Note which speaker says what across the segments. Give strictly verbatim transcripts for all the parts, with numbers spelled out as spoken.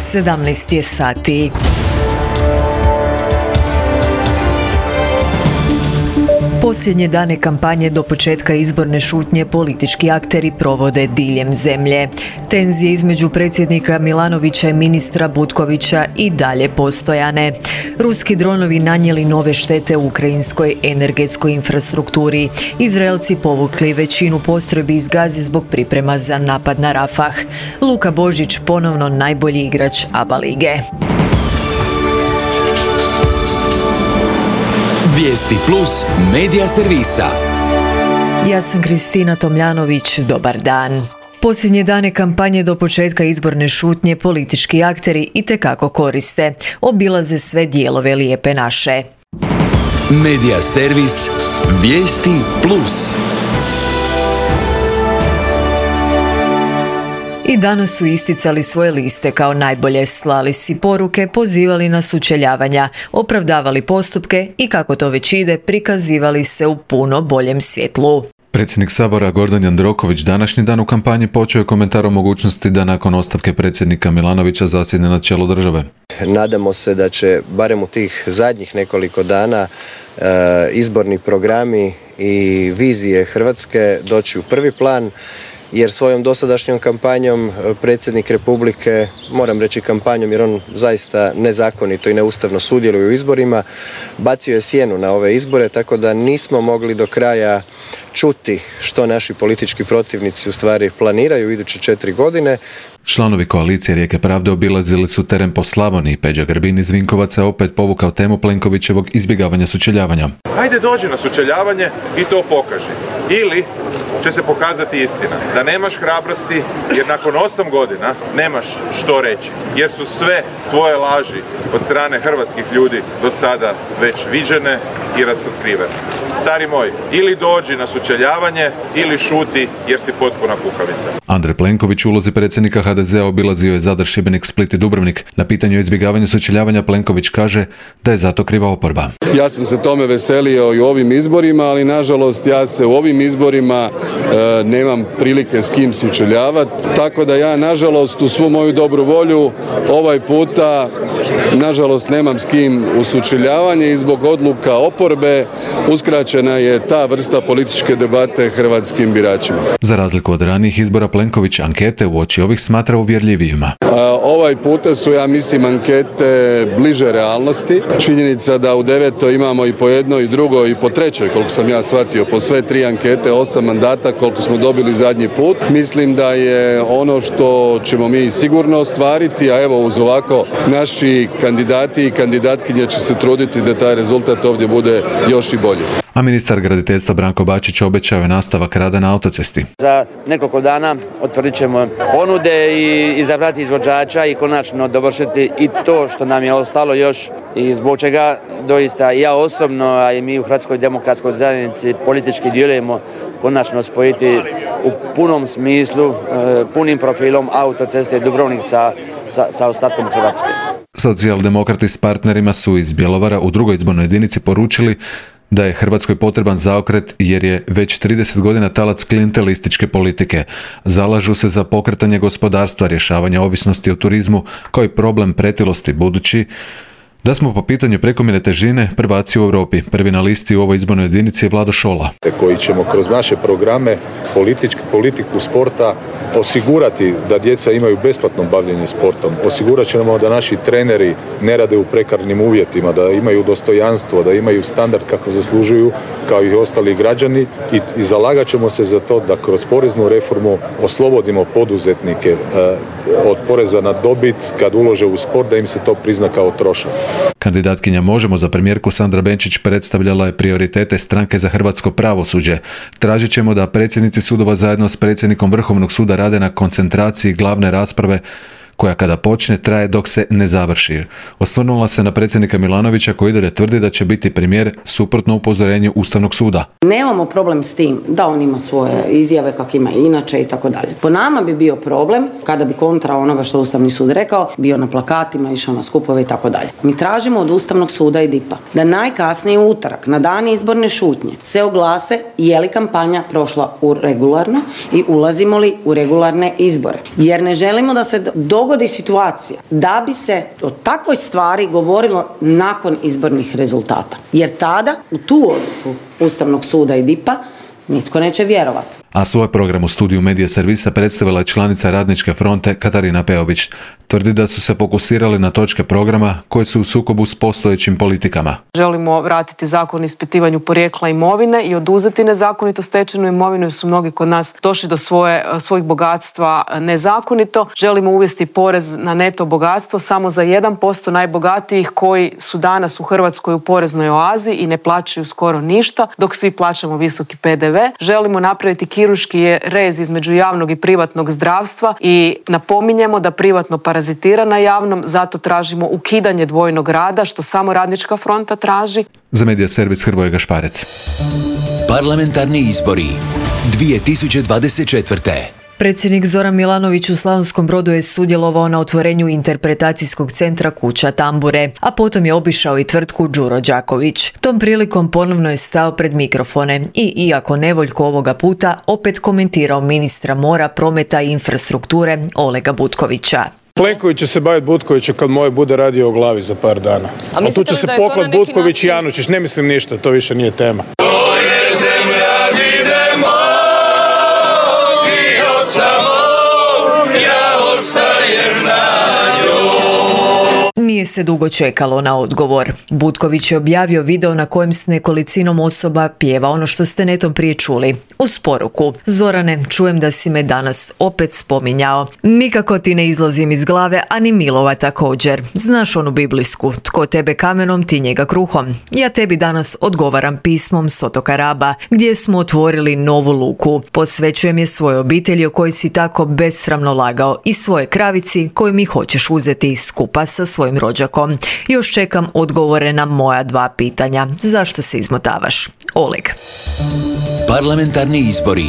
Speaker 1: sedamnaest je sati. Posljednje dane kampanje do početka izborne šutnje politički akteri provode diljem zemlje. Tenzije između predsjednika Milanovića i ministra Butkovića i dalje postojane. Ruski dronovi nanijeli nove štete ukrajinskoj energetskoj infrastrukturi. Izraelci povukli većinu postrojbi iz Gaze zbog priprema za napad na Rafah. Luka Božić ponovno najbolji igrač ABA lige.
Speaker 2: Vijesti plus medija servisa.
Speaker 1: Ja sam Kristina Tomljanović, dobar dan. Posljednje dane kampanje do početka izborne šutnje politički akteri itekako koriste. Obilaze sve dijelove Lijepe naše.
Speaker 2: Medija servis. Vijesti plus.
Speaker 1: I danas su isticali svoje liste kao najbolje, slali si poruke, pozivali na sučeljavanja, opravdavali postupke i kako to već ide, prikazivali se u puno boljem svjetlu.
Speaker 3: Predsjednik Sabora Gordan Jandroković današnji dan u kampanji počeo je komentar o mogućnosti da nakon ostavke predsjednika Milanovića zasjedne na čelo države.
Speaker 4: Nadamo se da će barem u tih zadnjih nekoliko dana e, izborni programi i vizije Hrvatske doći u prvi plan, jer svojom dosadašnjom kampanjom predsjednik Republike, moram reći kampanjom jer on zaista nezakonito i neustavno sudjeluje u izborima, bacio je sjenu na ove izbore, tako da nismo mogli do kraja čuti što naši politički protivnici u stvari planiraju u iduće četiri godine.
Speaker 3: Članovi koalicije Rijeke pravde obilazili su teren po Slavoniji. Peđa Grbin iz Vinkovaca opet povukao temu Plenkovićevog izbjegavanja sučeljavanja.
Speaker 5: Ajde dođi na sučeljavanje i to pokaži. Ili će se pokazati istina. Da nemaš hrabrosti jer nakon osam godina nemaš što reći. Jer su sve tvoje laži od strane hrvatskih ljudi do sada već viđene i razotkrivene. Stari moj, ili dođi na sučeljavanje ili šuti jer si potpuna kukavica.
Speaker 3: Andrej Plenković u ulozi predsjednika ha de zea obilazio je Zadar, Šibenik, Split i Dubrovnik. Na pitanju o izbjegavanju sučeljavanja Plenković kaže da je zato kriva oporba.
Speaker 6: Ja sam se tome veselio i u ovim izborima, ali nažalost ja se u ovim izborima e, nemam prilike s kim sučeljavati. Tako da ja nažalost u svu moju dobru volju ovaj puta nažalost nemam s kim u sučeljavanje i zbog odluka oporbe uskraćena je ta vrsta političke debate hrvatskim biračima.
Speaker 3: Za razliku od ranijih izbora Plenković ankete uoči ovih smatra uvjerljivijima.
Speaker 6: Ovaj puta su, ja mislim, ankete bliže realnosti. Činjenica da u devetoj imamo i po jednoj, i drugoj, i po trećoj, koliko sam ja shvatio, po sve tri ankete, osam mandata koliko smo dobili zadnji put. Mislim da je ono što ćemo mi sigurno ostvariti, a evo uz ovako naši kandidati i kandidatkinje će se truditi da taj rezultat ovdje bude još i bolji.
Speaker 3: A ministar graditeljstva Branko Bačić obećao je nastavak rada na autocesti.
Speaker 7: Za nekoliko dana otvorit ćemo ponude i izabrati izvođača i konačno dovršiti i to što nam je ostalo još i zbog čega doista ja osobno, a i mi u Hrvatskoj demokratskoj zajednici politički djelujemo, konačno spojiti u punom smislu, punim profilom autoceste Dubrovnik sa, sa, sa ostatkom Hrvatske.
Speaker 3: Socijaldemokrati s partnerima su iz Bjelovara u drugoj izbornoj jedinici poručili da je Hrvatskoj potreban zaokret jer je već trideset godina talac klijentelističke politike. Zalažu se za pokretanje gospodarstva, rješavanje ovisnosti o turizmu kao i problem pretilosti, budući da smo po pitanju prekomjerne težine prvaci u Europi. Prvi na listi u ovoj izbornoj jedinici je Vlado Šola.
Speaker 8: Koji ćemo kroz naše programe politički, politiku sporta osigurati da djeca imaju besplatno bavljenje sportom. Osigurat ćemo da naši treneri ne rade u prekarnim uvjetima, da imaju dostojanstvo, da imaju standard kako zaslužuju kao i ostali građani i, i zalagat ćemo se za to da kroz poreznu reformu oslobodimo poduzetnike eh, od poreza na dobit kad ulože u sport, da im se to prizna kao trošak.
Speaker 3: Kandidatkinja Možemo za premijerku Sandra Benčić predstavljala je prioritete Stranke za hrvatsko pravosuđe. Tražit ćemo da predsjednici sudova zajedno s predsjednikom Vrhovnog suda rade na koncentraciji glavne rasprave koja kada počne traje dok se ne završi. Osvrnula se na predsjednika Milanovića koji dalje tvrdi da će biti premijer suprotno upozorenju Ustavnog suda.
Speaker 9: Nemamo problem s tim da on ima svoje izjave kak ima inače i tako dalje. Po nama bi bio problem kada bi kontra onoga što Ustavni sud rekao bio na plakatima, išao na skupove i tako dalje. Mi tražimo od Ustavnog suda i D I P-a da najkasnije u utorak na dan izborne šutnje se oglase je li kampanja prošla u regularno i ulazimo li u regularne izbore. Jer ne želimo da se dogodi dogodi situacija da bi se o takvoj stvari govorilo nakon izbornih rezultata. Jer tada u tu odluku Ustavnog suda i D I P-a nitko neće vjerovati.
Speaker 3: A svoj program u studiju Medija servisa predstavila je članica Radničke fronte Katarina Peović. Tvrdi da su se fokusirali na točke programa koje su u sukobu s postojećim politikama.
Speaker 10: Želimo vratiti zakon o ispitivanju porijekla imovine i oduzeti nezakonito stečenu imovinu, jer su mnogi kod nas došli do svoje, svojih bogatstva nezakonito. Želimo uvesti porez na neto bogatstvo samo za jedan posto najbogatijih koji su danas u Hrvatskoj u poreznoj oazi i ne plaćaju skoro ništa, dok svi plaćamo visoki P D V. Želimo napraviti kirurški rez između javnog i privatnog zdravstva i napominjemo da privatno parazitira na javnom, zato tražimo ukidanje dvojnog rada, što samo Radnička fronta traži.
Speaker 3: Za Medija servis Hrvoje Gašparec.
Speaker 2: Parlamentarni izbori dvije tisuće dvadeset četvrte.
Speaker 1: Predsjednik Zoran Milanović u Slavonskom Brodu je sudjelovao na otvorenju interpretacijskog centra Kuća Tambure, a potom je obišao i tvrtku Đuro Đaković. Tom prilikom ponovno je stao pred mikrofone i, iako nevoljko ovoga puta, opet komentirao ministra mora, prometa i infrastrukture Olega Butkovića.
Speaker 11: Plenković će se baviti Butkovićem kad moj bude radio o glavi za par dana. A, a tu će se poklad Butković način... i Janučić. Ne mislim ništa, to više nije tema. To je zemlja gdje mnogi od samog, ja ostajem na njoj.
Speaker 1: Nije se dugo čekalo na odgovor. Butković je objavio video na kojem s nekolicinom osoba pjeva ono što ste netom prije čuli. Uz poruku: Zorane, čujem da si me danas opet spominjao. Nikako ti ne izlazim iz glave, a ni Milova također. Znaš onu biblijsku: tko tebe kamenom, ti njega kruhom. Ja tebi danas odgovaram pismom s otoka Raba, gdje smo otvorili novu luku. Posvećujem je svojoj obitelji o kojoj si tako besramno lagao i svoje kravici koju mi hoćeš uzeti skupa sa svojim rođakom. Još čekam odgovore na moja dva pitanja. Zašto se izmotavaš? Oleg.
Speaker 2: Parlamentarni izbori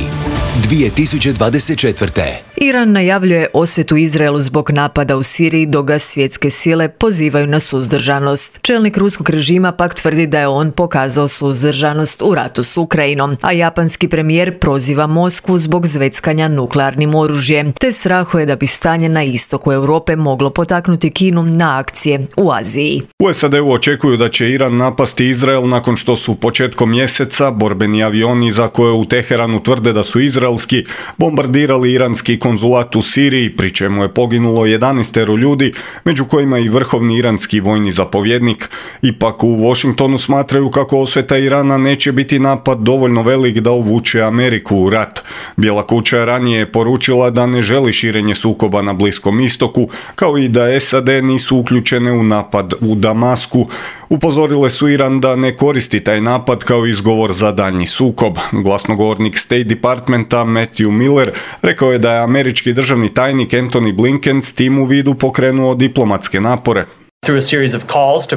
Speaker 2: dvije tisuće dvadeset četvrte.
Speaker 1: Iran najavljuje osvetu Izraelu zbog napada u Siriji, dok ga svjetske sile pozivaju na suzdržanost. Čelnik ruskog režima pak tvrdi da je on pokazao suzdržanost u ratu s Ukrajinom, a japanski premijer proziva Moskvu zbog zveckanja nuklearnim oružjem, te strahuje da bi stanje na istoku Europe moglo potaknuti Kinu na akcije u Aziji.
Speaker 12: U S A D-u očekuju da će Iran napasti Izrael nakon što su početkom mjeseca borbeni avioni za koje u Teheranu tvrde da su izraelski bombardirali iranski konzulat u Siriji, pri čemu je poginulo jedanaest ljudi, među kojima i vrhovni iranski vojni zapovjednik. Ipak u Washingtonu smatraju kako osveta Irana neće biti napad dovoljno velik da uvuče Ameriku u rat. Bijela kuća ranije je poručila da ne želi širenje sukoba na Bliskom istoku, kao i da S A D nisu uključene u napad u Damasku. Upozorile su Iran da ne koristi taj napad kao izgovor za daljnji sukob. Glasnogovornik State Departmenta Matthew Miller rekao je da je američki državni tajnik Antony Blinken s tim u vidu pokrenuo diplomatske napore.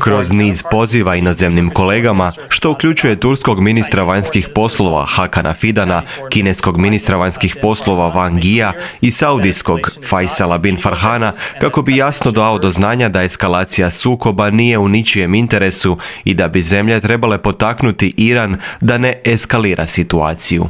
Speaker 13: Kroz niz poziva inozemnim kolegama, što uključuje turskog ministra vanjskih poslova Hakana Fidana, kineskog ministra vanjskih poslova Wang Yia i saudijskog Faisala bin Farhana, kako bi jasno dao do znanja da eskalacija sukoba nije u ničijem interesu i da bi zemlje trebale potaknuti Iran da ne eskalira situaciju.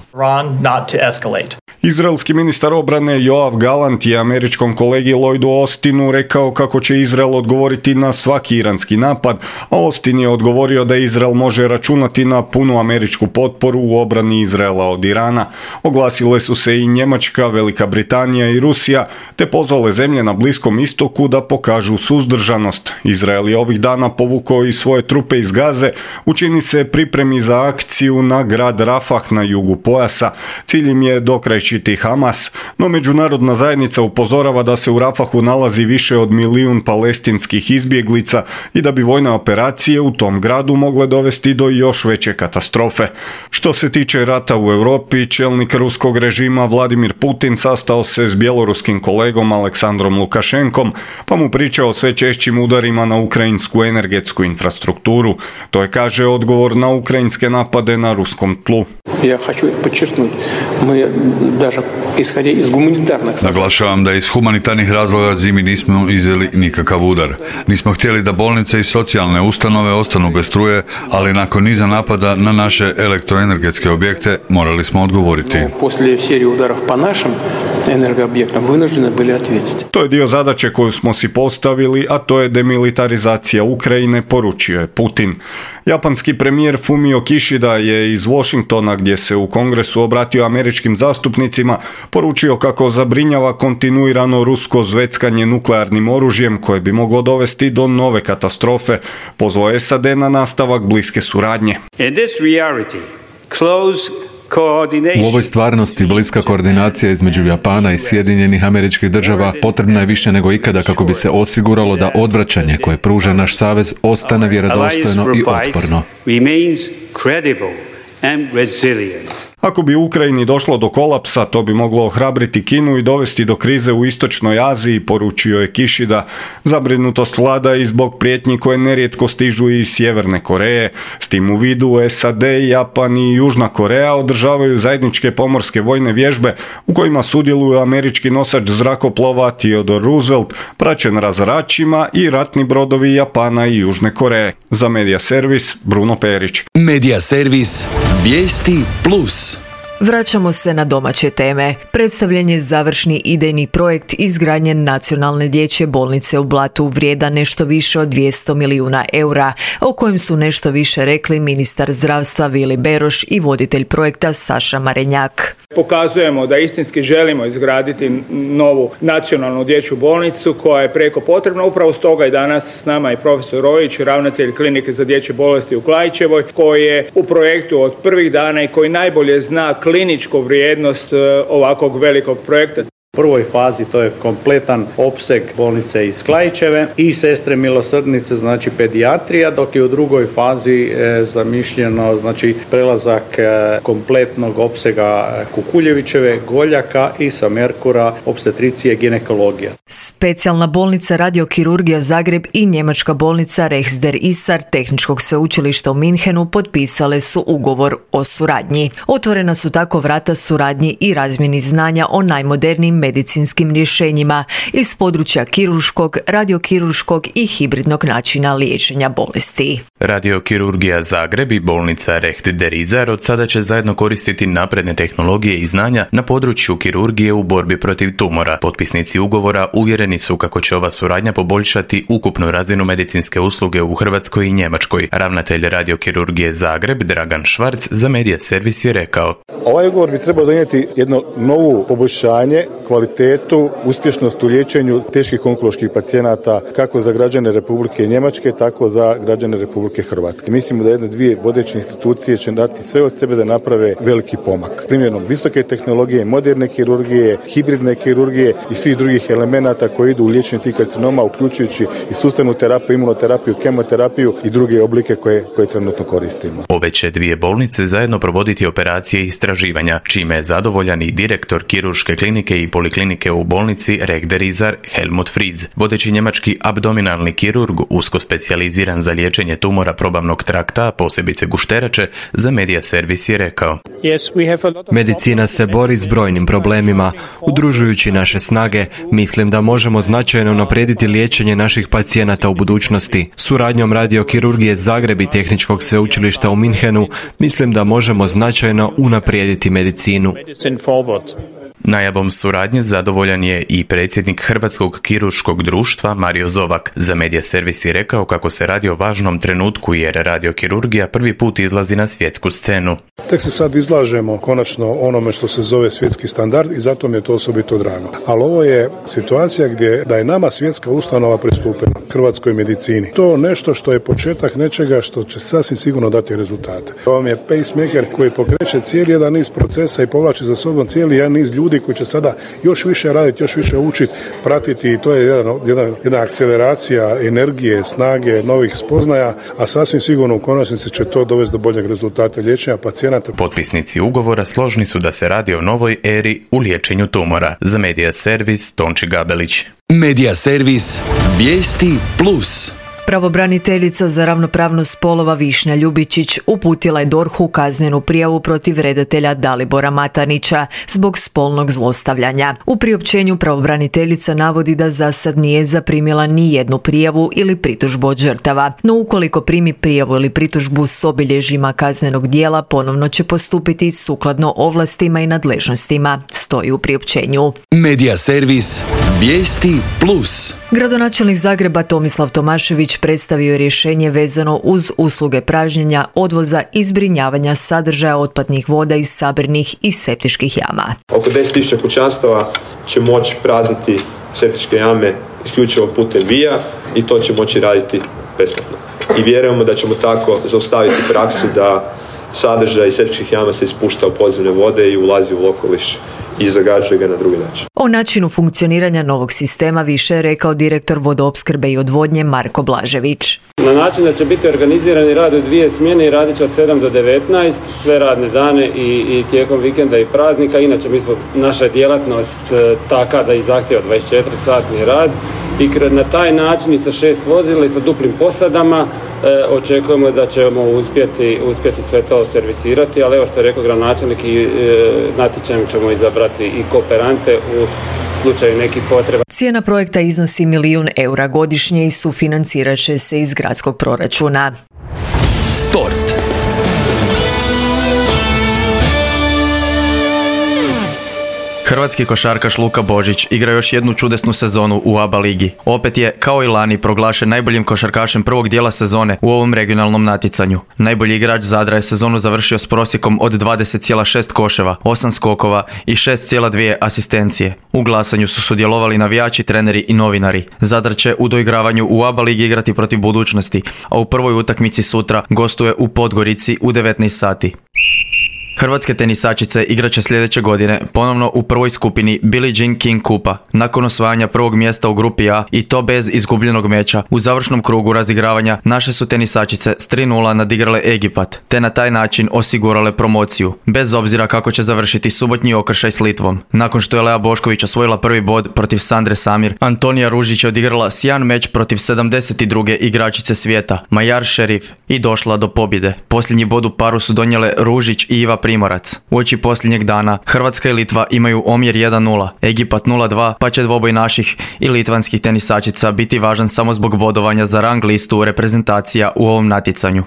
Speaker 12: Izraelski ministar obrane Yoav Gallant je američkom kolegi Lloydu Austinu rekao kako će Izrael odgovoriti na svaki iranski napad, a Austin je odgovorio da Izrael može računati na punu američku potporu u obrani Izraela od Irana. Oglasile su se i Njemačka, Velika Britanija i Rusija, te pozvale zemlje na Bliskom istoku da pokažu suzdržanost. Izrael je ovih dana povukao i svoje trupe iz Gaze, učini se pripremi za akciju na grad Rafah na jugu pojasa. Cilj im je dokrajčiti Hamas, no međunarodna zajednica upozorava da se u Rafahu nalazi više od milijun palestinskih izbjeglica i da bi vojne operacije u tom gradu mogle dovesti do još veće katastrofe. Što se tiče rata u Europi, čelnik ruskog režima Vladimir Putin sastao se s bjeloruskim kolegom Aleksandrom Lukašenkom, pa mu pričao o sve češćim udarima na ukrajinsku energetsku infrastrukturu. To je, kaže, odgovor na ukrajinske napade na ruskom tlu.
Speaker 14: Ja hoću podčerknuti, mi даже ishodje iz humanitarnih...
Speaker 15: Naglašavam da iz humanitarnih razloga zimi nismo izveli nikakav udar. Nismo smo htjeli da bolnice i socijalne ustanove ostanu bez struje, ali nakon niza napada na naše elektroenergetske objekte morali smo odgovoriti.
Speaker 14: Poslije serije udarov po našim energoobjektima vynuženi bili odgovoriti.
Speaker 12: To je dio zadaće koju smo si postavili, a to je demilitarizacija Ukrajine, poručio je Putin. Japanski premijer Fumio Kishida je iz Washingtona, gdje se u kongresu obratio američkim zastupnicima, poručio kako zabrinjava kontinuirano rusko zveckanje nuklearnim oružjem koje bi moglo dovesti do nove katastrofe. Pozvao je S A D na nastavak bliske suradnje.
Speaker 16: In this reality, close
Speaker 3: U ovoj stvarnosti bliska koordinacija između Japana i Sjedinjenih Američkih Država potrebna je više nego ikada kako bi se osiguralo da odvraćanje koje pruža naš savez ostane vjerodostojno i otporno.
Speaker 12: Ako bi u Ukrajini došlo do kolapsa, to bi moglo ohrabriti Kinu i dovesti do krize u istočnoj Aziji, poručio je Kishida. Zabrinutost vlada i zbog prijetnji koje nerijetko stižu iz Sjeverne Koreje. S tim u vidu S A D, Japan i Južna Koreja održavaju zajedničke pomorske vojne vježbe u kojima sudjeluju američki nosač zrakoplova Theodore Roosevelt, praćen razaračima, i ratni brodovi Japana i Južne Koreje. Za Medija Servis, Bruno Perić.
Speaker 2: Medija Servis, vijesti plus.
Speaker 1: Vraćamo se na domaće teme. Predstavljen je završni idejni projekt izgradnje nacionalne dječje bolnice u Blatu vrijedan nešto više od dvjesto milijuna eura, o kojem su nešto više rekli ministar zdravstva Vili Beroš i voditelj projekta Saša Marenjak.
Speaker 17: Pokazujemo da istinski želimo izgraditi novu nacionalnu dječju bolnicu koja je preko potrebna. Upravo stoga je danas s nama i profesor Rojić, ravnatelj klinike za dječje bolesti u Klaićevoj, koji je u projektu od prvih dana i koji najbolje zna kliničku vrijednost ovakvog velikog projekta.
Speaker 18: U prvoj fazi to je kompletan opseg bolnice iz Klaićeve i sestre milosrdnice, znači pedijatrija, dok je u drugoj fazi e, zamišljeno znači prelazak e, kompletnog opsega Kukuljevićeve, Goljaka i sa Merkura obstetricije ginekologija.
Speaker 1: Specijalna bolnica Radiokirurgija Zagreb i njemačka bolnica Rechts der Isar Tehničkog sveučilišta u Minhenu potpisale su ugovor o suradnji. Otvorena su tako vrata suradnji i razmjeni znanja o najmodernijim medicinskim rješenjima iz područja kirurškog, radiokirurškog i hibridnog načina liječenja bolesti.
Speaker 19: Radiokirurgija Zagreb i bolnica Rechts der Isar od sada će zajedno koristiti napredne tehnologije i znanja na području kirurgije u borbi protiv tumora. Potpisnici ugovora uvjereni su kako će ova suradnja poboljšati ukupnu razinu medicinske usluge u Hrvatskoj i Njemačkoj. Ravnatelj Radiokirurgije Zagreb Dragan Švarc za Medija Servis je rekao:
Speaker 8: Ovaj ugovor bi trebao donijeti jedno novu poboljšanje, kvalitetu, uspješnost u liječenju teških onkoloških pacijenata kako za građane Republike Njemačke, tako za građane Republike Hrvatske. Mislimo da jedne dvije vodeće institucije će dati sve od sebe da naprave veliki pomak. Primjenom visoke tehnologije, moderne kirurgije, hibridne kirurgije i svih drugih elemenata koji idu u liječenje tih karcinoma, uključujući i sustavnu terapiju, imunoterapiju, kemoterapiju i druge oblike koje, koje trenutno koristimo.
Speaker 19: Ove će dvije bolnice zajedno provoditi operacije i istraživanja, čime je zadovoljan i direktor kirurške klinike i poliklinike u bolnici Rechts der Isar Helmut Fries. Vodeći njemački abdominalni kirurg, usko specijaliziran za liječenje tumora probavnog trakta, posebice gušterače, za Medija Servis je rekao:
Speaker 13: Medicina se bori s brojnim problemima. Udružujući naše snage, mislim da možemo značajno unaprijediti liječenje naših pacijenata u budućnosti. Suradnjom Radiokirurgije Zagreb i Tehničkog sveučilišta u Minhenu, mislim da možemo značajno unaprijediti medicinu.
Speaker 19: Najavom suradnje zadovoljan je i predsjednik Hrvatskog kirurškog društva Mario Zovak. Za Medija Servis je rekao kako se radi o važnom trenutku jer radiokirurgija prvi put izlazi na svjetsku scenu.
Speaker 11: Tek se sad izlažemo konačno onome što se zove svjetski standard i zato mi je to osobito drago. Ali ovo je situacija gdje da je nama svjetska ustanova pristupila hrvatskoj medicini. To nešto što je početak nečega što će sasvim sigurno dati rezultate. Ovo vam je pacemaker koji pokreće cijeli jedan niz procesa i povlači za sobom cijeli jedan niz ljudi koji će sada još više raditi, još više učiti, pratiti i to je jedan, jedan, jedna akceleracija energije, snage, novih spoznaja, a sasvim sigurno u konačnici će to dovesti do boljeg rezultata liječenja pacijenata.
Speaker 19: Potpisnici ugovora složni su da se radi o novoj eri u liječenju tumora. Za Medija Servis Tonči Gabelić.
Speaker 2: Medija Servis, vijesti plus.
Speaker 1: Pravobraniteljica za ravnopravnost spolova Višnja Ljubičić uputila je D O R H-u kaznenu prijavu protiv redatelja Dalibora Matanića zbog spolnog zlostavljanja. U priopćenju pravobraniteljica navodi da za sad nije zaprimila ni jednu prijavu ili pritužbu od žrtava, no ukoliko primi prijavu ili pritužbu s obilježjima kaznenog djela, ponovno će postupiti sukladno ovlastima i nadležnostima, stoji u priopćenju.
Speaker 2: Medija servis Vijesti plus.
Speaker 1: Gradonačelnik Zagreba Tomislav Tomašević predstavio je rješenje vezano uz usluge pražnjenja, odvoza i zbrinjavanja sadržaja otpadnih voda iz sabirnih i septičkih jama.
Speaker 20: Oko deset tisuća kućanstava će moći prazniti septičke jame isključivo putem vija i to će moći raditi besplatno. I vjerujemo da ćemo tako zaustaviti praksu da sadržaj septičkih jama se ispušta u podzemne vode i ulazi u okoliš i zagađuje ga na drugi način.
Speaker 1: O načinu funkcioniranja novog sistema više je rekao direktor vodoopskrbe i odvodnje Marko Blažević.
Speaker 21: Na način da će biti organizirani rad u dvije smjene i radit će od sedam do devetnaest, sve radne dane i, i tijekom vikenda i praznika. Inače mi smo, naša djelatnost taka da i zahtjeva dvadeset četiri satni rad i na taj način i sa šest vozila i sa duplim posadama e, očekujemo da ćemo uspjeti, uspjeti sve to servisirati, ali evo što je rekao gradonačelnik i e, natječajem ćemo izabrati i kooperante u slučaju nekih potreba.
Speaker 1: Cijena projekta iznosi milijun eura godišnje i sufinancirat će se iz gradskog proračuna.
Speaker 2: Sport.
Speaker 13: Hrvatski košarkaš Luka Božić igra još jednu čudesnu sezonu u A B A ligi. Opet je, kao i lani, proglašen najboljim košarkašem prvog dijela sezone u ovom regionalnom natjecanju. Najbolji igrač Zadra je sezonu završio s prosjekom od dvadeset zarez šest koševa, osam skokova i šest zarez dvije asistencije. U glasanju su sudjelovali navijači, treneri i novinari. Zadar će u doigravanju u A B A ligi igrati protiv Budućnosti, a u prvoj utakmici sutra gostuje u Podgorici u devetnaest sati. Hrvatske tenisačice igraće sljedeće godine ponovno u prvoj skupini Billie Jean King Kupa, nakon osvajanja prvog mjesta u grupi A i to bez izgubljenog meča. U završnom krugu razigravanja naše su tenisačice s tri nula nadigrale Egipat, te na taj način osigurale promociju, bez obzira kako će završiti subotnji okršaj s Litvom. Nakon što je Lea Bošković osvojila prvi bod protiv Sandre Samir, Antonija Ružić je odigrala sjajan meč protiv sedamdeset druge igračice svijeta, Majar Šerif, i došla do pobjede. Posljednji bod u paru su donijele Ružić i Iva Primorac. Uoči posljednjeg dana Hrvatska i Litva imaju omjer jedan nula, Egipat nula dva, pa će dvoboj naših i litvanskih tenisačica biti važan samo zbog bodovanja za rang listu reprezentacija u ovom natjecanju.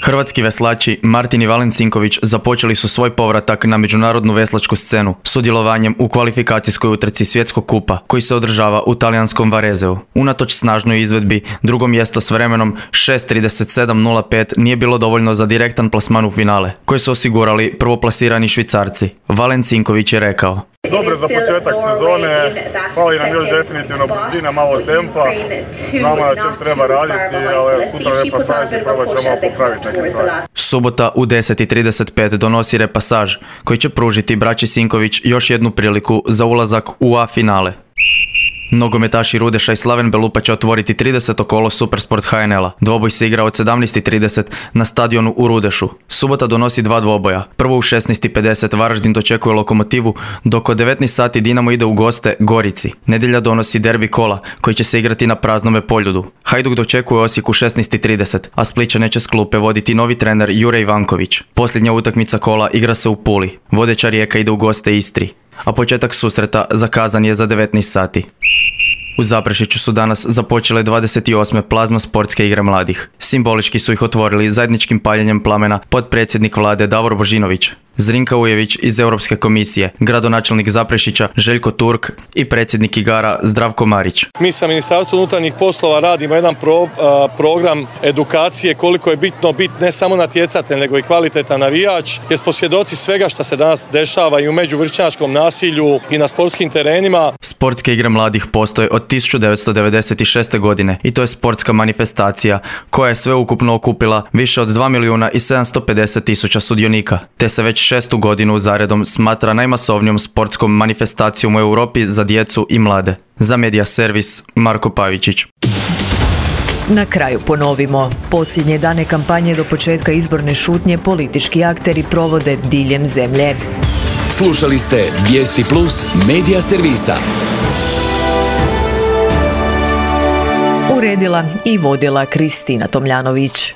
Speaker 13: Hrvatski veslači Martin i Valen Cinković započeli su svoj povratak na međunarodnu veslačku scenu sudjelovanjem u kvalifikacijskoj utrci Svjetskog kupa koji se održava u talijanskom Varezeu. Unatoč snažnoj izvedbi, drugo mjesto s vremenom šest trideset sedam nula pet nije bilo dovoljno za direktan plasman u finale, koji su osigurali prvoplasirani Švicarci. Valen Cinković je rekao:
Speaker 22: Dobro za početak sezone, fali nam još definitivno brzina, malo tempa, znamo na čem treba raditi, ali sutra repasaž i probat ćemo malo popraviti neke stvari.
Speaker 13: Subota u deset i trideset pet donosi repasaž koji će pružiti braći Sinković još jednu priliku za ulazak u A finale. Nogometaši Rudeša i Slaven Belupa će otvoriti trideseto kolo Supersport H N L-a. Dvoboj se igra od sedamnaest i trideset na stadionu u Rudešu. Subota donosi dva dvoboja. Prvo u šesnaest i pedeset Varaždin dočekuje Lokomotivu, dok od devetnaest sati Dinamo ide u goste Gorici. Nedjelja donosi derbi kola koji će se igrati na praznome Poljudu. Hajduk dočekuje Osijek u šesnaest i trideset, a Splićane će s klupe voditi novi trener Jure Ivanković. Posljednja utakmica kola igra se u Puli. Vodeća Rijeka ide u goste Istri, a početak susreta zakazan je za devetnaest sati. U Zaprešiću su danas započele dvadeset osme plazma sportske igre mladih. Simbolički su ih otvorili zajedničkim paljenjem plamena potpredsjednik vlade Davor Božinović, Zrinka Ujević iz Europske komisije, gradonačelnik Zaprešića Željko Turk i predsjednik igara Zdravko Marić.
Speaker 23: Mi sa Ministarstvom unutarnjih poslova radimo jedan pro, a, program edukacije koliko je bitno biti ne samo natjecatelj nego i kvalitetan navijač, jer smo svjedoci svega što se danas dešava i u međuvršnjačkom nasilju i na sportskim terenima.
Speaker 13: Sportske igre mladih postoje od tisuću devetsto devedeset šeste. godine i to je sportska manifestacija koja je sveukupno okupila više od dva milijuna i sedamsto pedeset tisuća sudionika, te se već šestu godinu zaredom smatra najmasovnijom sportskom manifestacijom u Europi za djecu i mlade. Za Medija servis Marko Pavičić.
Speaker 1: Na kraju ponovimo. Posljednje dane kampanje do početka izborne šutnje politički akteri provode diljem zemlje.
Speaker 2: Slušali ste Vijesti plus Medija servisa.
Speaker 1: U Uredila i vodila Kristina Tomljanović.